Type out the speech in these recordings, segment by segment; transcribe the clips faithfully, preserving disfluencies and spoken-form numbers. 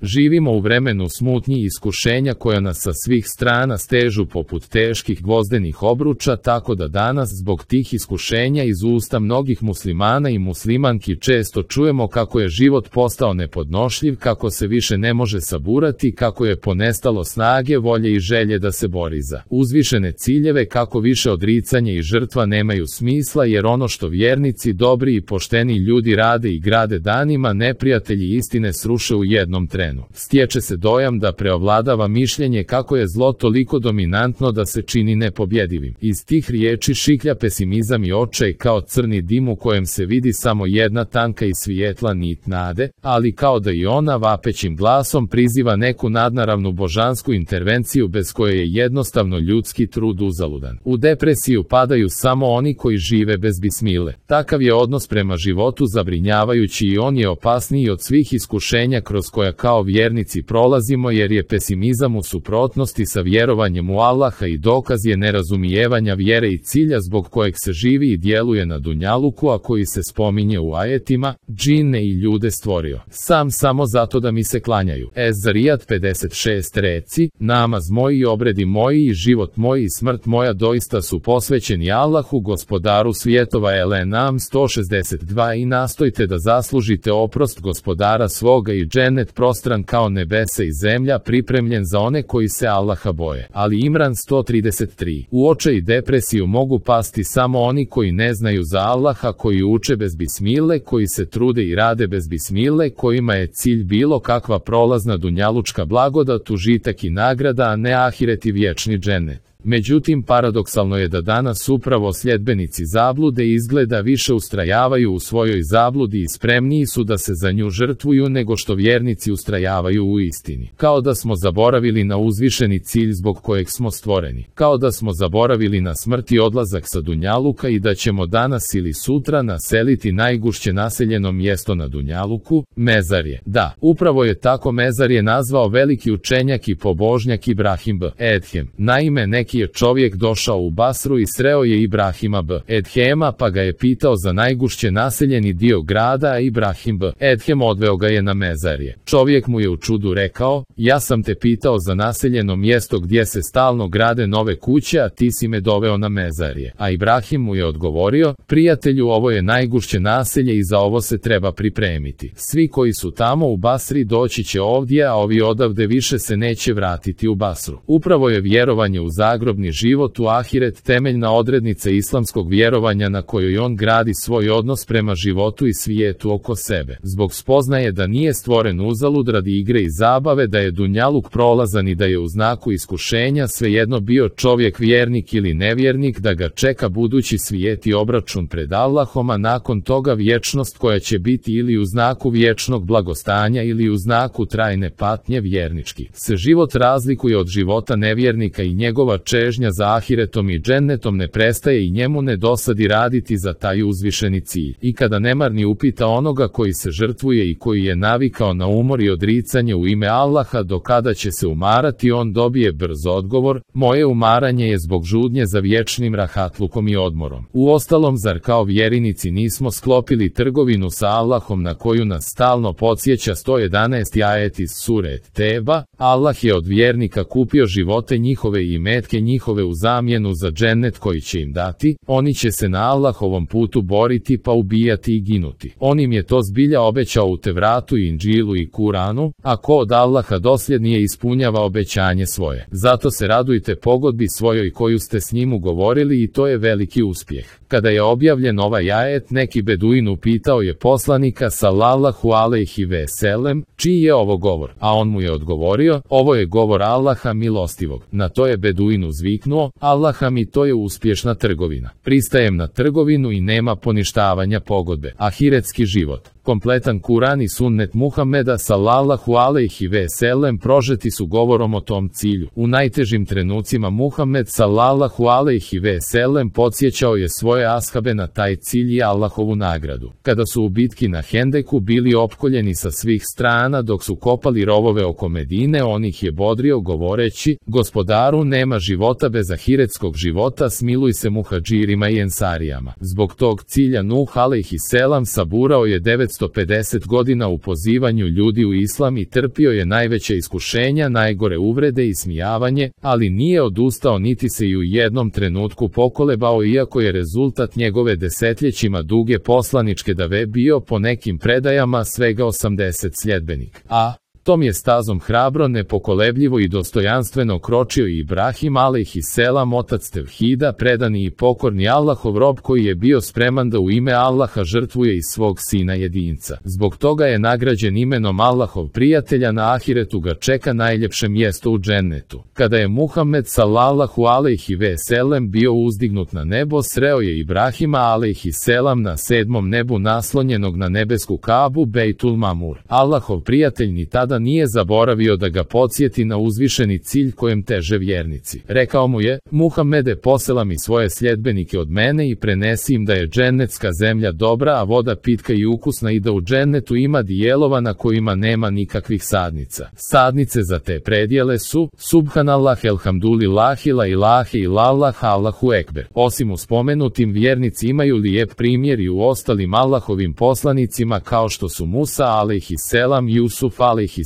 Živimo u vremenu smutnji i iskušenja koja nas sa svih strana stežu poput teških gvozdenih obruča, tako da danas zbog tih iskušenja iz usta mnogih muslimana i muslimanki često čujemo kako je život postao nepodnošljiv, kako se više ne može saburati, kako je ponestalo snage, volje i želje da se bori za uzvišene ciljeve, kako više odricanje i žrtva nemaju smisla, jer ono što vjernici, dobri i pošteni ljudi rade i grade danima, neprijatelji istine sruše u jednom trenu. Stječe se dojam da preovladava mišljenje kako je zlo toliko dominantno da se čini nepobjedivim. Iz tih riječi šiklja pesimizam i očaj kao crni dim u kojem se vidi samo jedna tanka i svijetla nit nade, ali kao da i ona vapećim glasom priziva neku nadnaravnu božansku intervenciju bez koje je jednostavno ljudski trud uzaludan. U depresiju padaju samo oni koji žive bez bismile. Takav je odnos prema životu zabrinjavajući i on je opasniji od svih iskušenja kroz koja kao vjernici prolazimo, jer je pesimizam u suprotnosti sa vjerovanjem u Allaha i dokaz je nerazumijevanja vjere i cilja zbog kojeg se živi i djeluje na dunjaluku, a koji se spominje u ajetima: džine i ljude stvorio sam samo zato da mi se klanjaju. Ez-Zarijat pedeset šest reci: namaz moj i obredi moji i život moj i smrt moja doista su posvećeni Allahu, gospodaru svjetova. El-Enam sto šezdeset dva I nastojte da zaslužite oprost gospodara svoga i džennet prostran kao nebesa i zemlja, pripremljen za one koji se Allaha boje. Ali Imran sto trideset tri. U očaj i depresiju mogu pasti samo oni koji ne znaju za Allaha, koji uče bez bismile, koji se trude i rade bez bismile, kojima je cilj bilo kakva prolazna dunjalučka blagodat, užitak i nagrada, a ne ahiret i vječni džennet. Međutim, paradoksalno je da danas upravo sljedbenici zablude izgleda više ustrajavaju u svojoj zabludi i spremniji su da se za nju žrtvuju nego što vjernici ustrajavaju u istini. Kao da smo zaboravili na uzvišeni cilj zbog kojeg smo stvoreni. Kao da smo zaboravili na smrt i odlazak sa dunjaluka i da ćemo danas ili sutra naseliti najgušće naseljeno mjesto na dunjaluku, mezarje. Da, upravo je tako mezarje nazvao veliki učenjak i pobožnjak Ibrahim b. Edhem. Naime, neki je čovjek došao u Basru i sreo je Ibrahima b. Edhema, pa ga je pitao za najgušće naseljeni dio grada, a Ibrahim b. Edhem odveo ga je na mezarje. Čovjek mu je u čudu rekao: ja sam te pitao za naseljeno mjesto gdje se stalno grade nove kuće, a ti si me doveo na mezarje. A Ibrahim mu je odgovorio: prijatelju, ovo je najgušće naselje i za ovo se treba pripremiti. Svi koji su tamo u Basri doći će ovdje, a ovi odavde više se neće vratiti u Basru. Upravo je vjerovanje u zagrobni život, u ahiret, temeljna odrednica islamskog vjerovanja na kojoj on gradi svoj odnos prema životu i svijetu oko sebe. Zbog spoznaje da nije stvoren uzalud radi igre i zabave, da je dunjaluk prolazan i da je u znaku iskušenja, svejedno bio čovjek vjernik ili nevjernik, da ga čeka budući svijet i obračun pred Allahom, a nakon toga vječnost koja će biti ili u znaku vječnog blagostanja ili u znaku trajne patnje. Vjernički se život razlikuje od života nevjernika i njegova čežnja za ahiretom i džennetom ne prestaje i njemu ne dosadi raditi za taj uzvišeni cilj. I kada nemarni upita onoga koji se žrtvuje i koji je navikao na umor i odricanje u ime Allaha do kada će se umarati, on dobije brz odgovor: moje umaranje je zbog žudnje za vječnim rahatlukom i odmorom. Uostalom, zar kao vjerinici nismo sklopili trgovinu sa Allahom na koju nas stalno podsjeća sto jedanaesti ajet iz sure Teba? Allah je od vjernika kupio živote njihove i imetke njihove u zamjenu za džennet koji će im dati. Oni će se na Allahovom putu boriti pa ubijati i ginuti. On im je to zbilja obećao u Tevratu i Inđilu i Kuranu, a ko od Allaha dosljednije ispunjava obećanje svoje. Zato se radujte pogodbi svojoj koju ste s njim ugovorili i to je veliki uspjeh. Kada je objavljen ovaj ajet, neki beduin upitao je poslanika sallallahu alejhi ve sellem: čiji je ovo govor? A on mu je odgovorio: ovo je govor Allaha milostivog. Na to je beduin uzviknuo: Allaha mi, to je uspješna trgovina. Pristajem na trgovinu i nema poništavanja pogodbe. Ahiretski život. Kompletan Kuran i sunnet Muhameda sallallahu alejhi ve sellem prožeti su govorom o tom cilju. U najtežim trenucima Muhammed sallallahu alejhi ve sellem podsjećao je svoje ashabe na taj cilj i Allahovu nagradu. Kada su u bitki na Hendeku bili opkoljeni sa svih strana dok su kopali rovove oko Medine, on ih je bodrio govoreći: gospodaru, nema života bez ahiretskog života, smiluj se muhadžirima i ensarijama. Zbog tog cilja Nuh alejhi selam saburao je devetsto dvesta pedeset godina u pozivanju ljudi u islam i trpio je najveća iskušenja, najgore uvrede i smijavanje, ali nije odustao niti se i u jednom trenutku pokolebao, iako je rezultat njegove desetljećima duge poslaničke dave bio po nekim predajama svega osamdeset sljedbenika. A tom je stazom hrabro, nepokolebljivo i dostojanstveno kročio i Ibrahim alejhiselam, otac tevhida, predani i pokorni Allahov rob koji je bio spreman da u ime Allaha žrtvuje i svog sina jedinca. Zbog toga je nagrađen imenom Allahov prijatelja, na ahiretu ga čeka najljepše mjesto u džennetu. Kada je Muhammed sallallahu alejhi ve sellem bio uzdignut na nebo, sreo je Ibrahima alejhiselam na sedmom nebu naslonjenog na nebesku Kabu Bejtul Mamur. Allahov prijatelj ni tada nije zaboravio da ga podsjeti na uzvišeni cilj kojem teže vjernici. Rekao mu je: Muhammede, posela mi svoje sljedbenike od mene i prenesi im da je džennetska zemlja dobra, a voda pitka i ukusna, i da u džennetu ima dijelova na kojima nema nikakvih sadnica. Sadnice za te predjele su Subhanallah, elhamdulillahi, la ilahe illallah, Allahu ekber. Osim u spomenutim, vjernici imaju lijep primjer i u ostalim Allahovim poslanicima, kao što su Musa alejhiselam, Jusuf alejhiselam,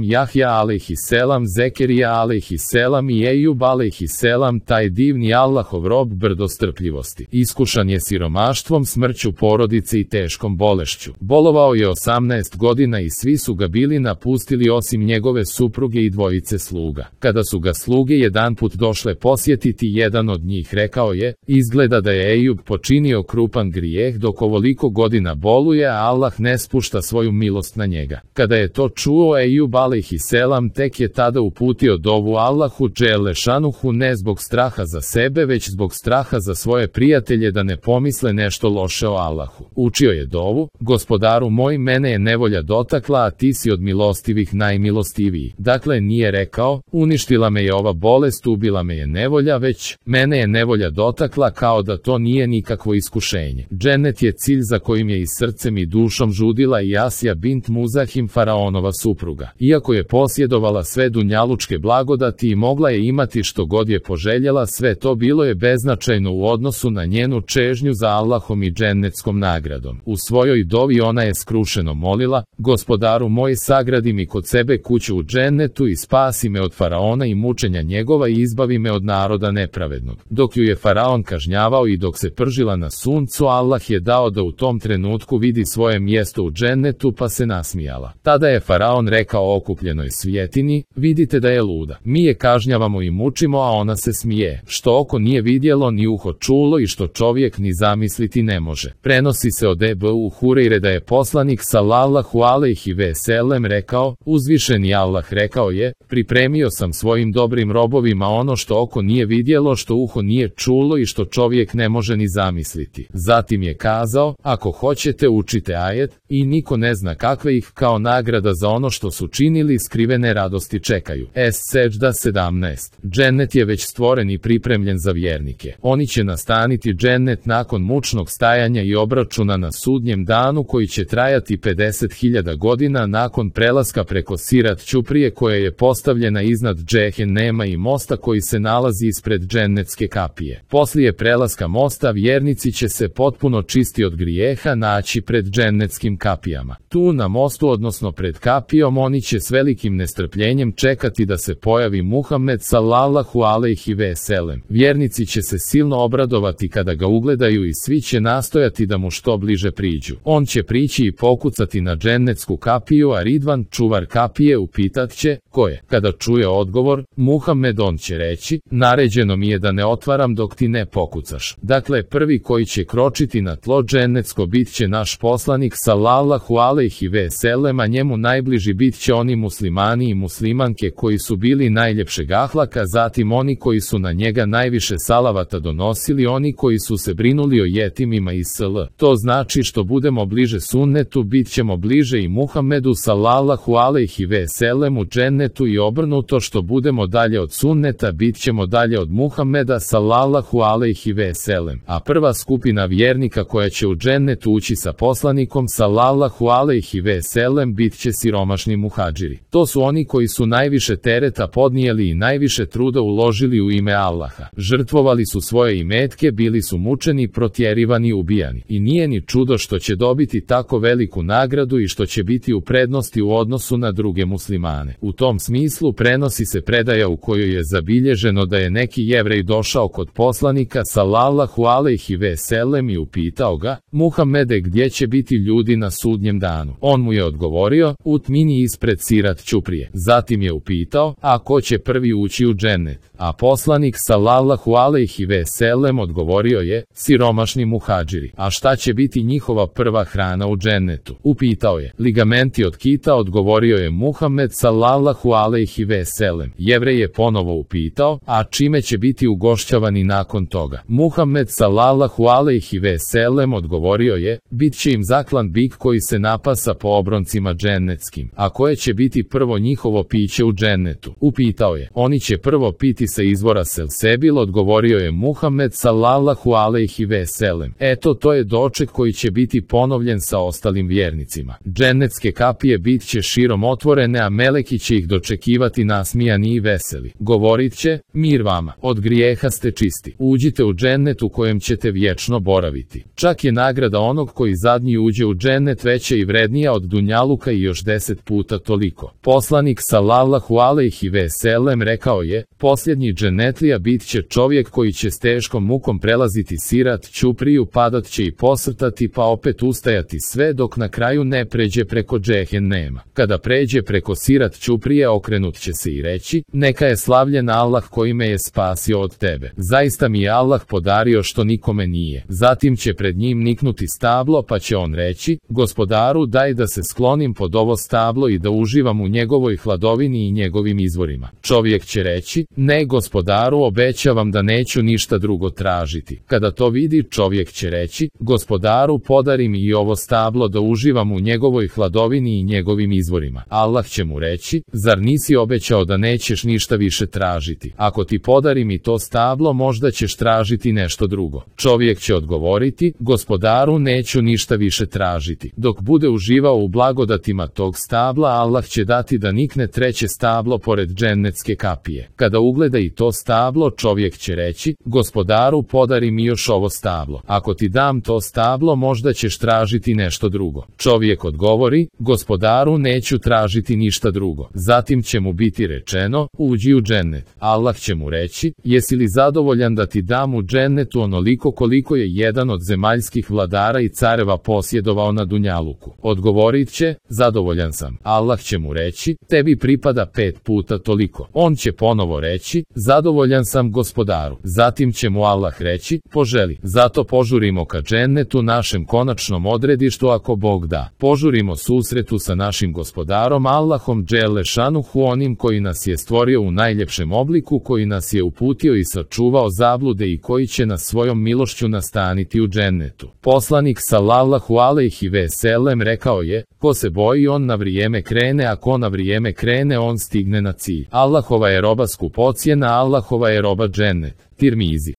Jahja alejhiselam, Zekerija alejhiselam i Ejub alejhiselam. Taj divni Allahov rob brdo strpljivosti. Iskušan je siromaštvom, smrću porodice i teškom bolešću. Bolovao je osamnaest godina i svi su ga bili napustili osim njegove supruge i dvojice sluga. Kada su ga sluge jedanput došle posjetiti, jedan od njih rekao je: izgleda da je Ejub počinio krupan grijeh dok ovoliko godina boluje, a Allah ne spušta svoju milost na njega. Kada je to čuo Ejub alejhiselam, tek je tada uputio dovu Allahu dželle šanuhu, ne zbog straha za sebe, već zbog straha za svoje prijatelje da ne pomisle nešto loše o Allahu. Učio je dovu: Gospodaru moj, mene je nevolja dotakla, a ti si od milostivih najmilostiviji. Dakle, nije rekao: uništila me je ova bolest, ubila me je nevolja, već mene je nevolja dotakla, kao da to nije nikakvo iskušenje. Džennet je cilj za kojim je i srcem i dušom žudila i Asija bint Muzahim, faraonova supruga. Iako je posjedovala sve dunjalučke blagodati i mogla je imati što god je poželjela, sve to bilo je beznačajno u odnosu na njenu čežnju za Allahom i džennetskom nagradom. U svojoj dovi ona je skrušeno molila: Gospodaru moj, sagradi mi kod sebe kuću u džennetu i spasi me od faraona i mučenja njegova i izbavi me od naroda nepravednog. Dok ju je faraon kažnjavao i dok se pržila na suncu, Allah je dao da u tom trenutku vidi svoje mjesto u džennetu, pa se nasmijala. Tada je faraon rekao okupljenoj svjetini: vidite da je luda. Mi je kažnjavamo i mučimo, a ona se smije, što oko nije vidjelo ni uho čulo i što čovjek ni zamisliti ne može. Prenosi se od Ebu Hurejre da je poslanik sallallahu alejhi ve sellem rekao: uzvišeni Allah rekao je: pripremio sam svojim dobrim robovima ono što oko nije vidjelo, što uho nije čulo i što čovjek ne može ni zamisliti. Zatim je kazao: ako hoćete, učite ajet, i niko ne zna kakve ih kao nagrada za ono što su činili skrivene radosti čekaju. Es-Seđda sedamnaest. Džennet je već stvoren i pripremljen za vjernike. Oni će nastaniti džennet nakon mučnog stajanja i obračuna na sudnjem danu, koji će trajati pedeset hiljada godina nakon prelaska preko Sirat Ćuprije, koja je postavljena iznad Džehennema i mosta koji se nalazi ispred džennetske kapije. Poslije prelaska mosta, vjernici će se potpuno čisti od grijeha naći pred džennetskim kapijama. Tu na mostu, odnosno pred kapijom, oni će s velikim nestrpljenjem čekati da se pojavi Muhammed sallallahu alejhi ve sellem. Vjernici će se silno obradovati kada ga ugledaju i svi će nastojati da mu što bliže priđu. On će prići i pokucati na džennetsku kapiju, a Ridvan, čuvar kapije, upitat će: ko je? Kada čuje odgovor Muhammed, on će reći: naređeno mi je da ne otvaram dok ti ne pokucaš. Dakle, prvi koji će kročiti na tlo džennetsko bit će naš poslanik sallallahu alejhi ve sellem, a njemu najbliži bit će oni muslimani i muslimanke koji su bili najljepšeg ahlaka, zatim oni koji su na njega najviše salavata donosili, oni koji su se brinuli o jetimima i sl. To znači što budemo bliže sunnetu, bit ćemo bliže i Muhammedu sallallahu alejhi ve sellem u džennetu, i obrnuto, što budemo dalje od sunneta, bit ćemo dalje od Muhammeda sallallahu alejhi ve sellem. A prva skupina vjernika koja će u džennetu ući sa poslanikom sallallahu alejhi ve sellem bit će siromašni muhadžiri. To su oni koji su najviše tereta podnijeli i najviše truda uložili u ime Allaha. Žrtvovali su svoje imetke, bili su mučeni, protjerivani, ubijani. I nije ni čudo što će dobiti tako veliku nagradu i što će biti u prednosti u odnosu na druge muslimane. U tom smislu prenosi se predaja u kojoj je zabilježeno da je neki Jevrej došao kod poslanika sallallahu alejhi ve sellem i upitao ga: Muhammede, gdje će biti ljudi na sudnjem danu? On mu je odgovorio: u tmini ispred sirat ćuprije. Zatim je upitao: a ko će prvi ući u džennet? A poslanik sallallahu alejhi ve sellem odgovorio je: siromašni muhadžiri. A šta će biti njihova prva hrana u džennetu? Upitao je: ligamenti od kita, odgovorio je Muhammed sallallahu alejhi ve sellem. Jevrej je ponovo upitao: a čime će biti ugošćavani nakon toga? Muhammed sallallahu alejhi ve sellem odgovorio je: bit će im zaklan bik koji se napasa po obroncima džennetskim. A koje će biti prvo njihovo piće u džennetu? Upitao je: oni će prvo piti sa izvora Selsebil, odgovorio je Muhammed sallallahu alejhi ve sellem. Eto, to je doček koji će biti ponovljen sa ostalim vjernicima. Džennetske kapije bit će širom otvorene, a meleki će ih dočekivati nasmijani i veseli. Govorit će: mir vama, od grijeha ste čisti. Uđite u džennet u kojem ćete vječno boraviti. Čak je nagrada onog koji zadnji uđe u džennet veća i vrednija od dunjaluka i još deset puta toliko. Poslanik sallallahu alejhi ve sellem rekao je: posljednji džennetlija bit će čovjek koji će s teškom mukom prelaziti sirat ćupriju, padat će i posrtati pa opet ustajati sve dok na kraju ne pređe preko džehennema. Kada pređe preko sirat ćuprije, okrenut će se i reći: neka je slavljen Allah koji me je spasio od tebe. Zaista mi je Allah podario što nikome nije. Zatim će pred njim niknuti stablo, pa će on reći: gospodaru, daj da se sklonim pod ovo stablo i da uživam u njegovoj hladovini i njegovim izvorima. Čovjek će reći: ne, gospodaru, obećavam da neću ništa drugo tražiti. Kada to vidi, čovjek će reći: gospodaru, podari mi i ovo stablo da uživam u njegovoj hladovini i njegovim izvorima. Allah će mu reći: zar nisi obećao da nećeš ništa više tražiti? Ako ti podarim i to stablo, možda ćeš tražiti nešto drugo. Čovjek će odgovoriti: gospodaru, neću ništa više tražiti. Dok bude uživao u blagodatima tog stabla, Allah će dati da nikne treće stablo pored džennetske kapije. Kada ugleda i to stablo, čovjek će reći: gospodaru, podari mi još ovo stablo. Ako ti dam to stablo, možda ćeš tražiti nešto drugo. Čovjek odgovori: gospodaru, neću tražiti ništa drugo. Zatim će mu biti rečeno: uđi u džennet. Allah će mu reći: jesi li zadovoljan da ti dam u džennetu onoliko koliko je jedan od zemaljskih vladara i careva posjedovao na dunjaluku? Odgovorit će: zadovoljan sam. Allah će mu reći: tebi pripada pet puta toliko. On će ponovo reći: zadovoljan sam, gospodaru. Zatim će mu Allah reći: poželi. Zato požurimo ka džennetu, našem konačnom odredištu, ako Bog da. Požurimo susretu sa našim gospodarom Allahom dželle šanuhu, onim koji nas je stvorio u najljepšem obliku, koji nas je uputio i sačuvao zablude i koji će nas svojom milošću nastaniti u džennetu. Poslanik sallallahu alejhi ve sellem rekao je: ko se boji, on na vrijeme krene, a ko na vrijeme krene, on stigne na cilj. Allahova je roba skupocjena, Allahova je roba džennet. Tirmizi.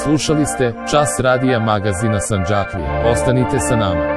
Slušali ste Čas radija magazina Sandžaklije. Ostanite sa nama.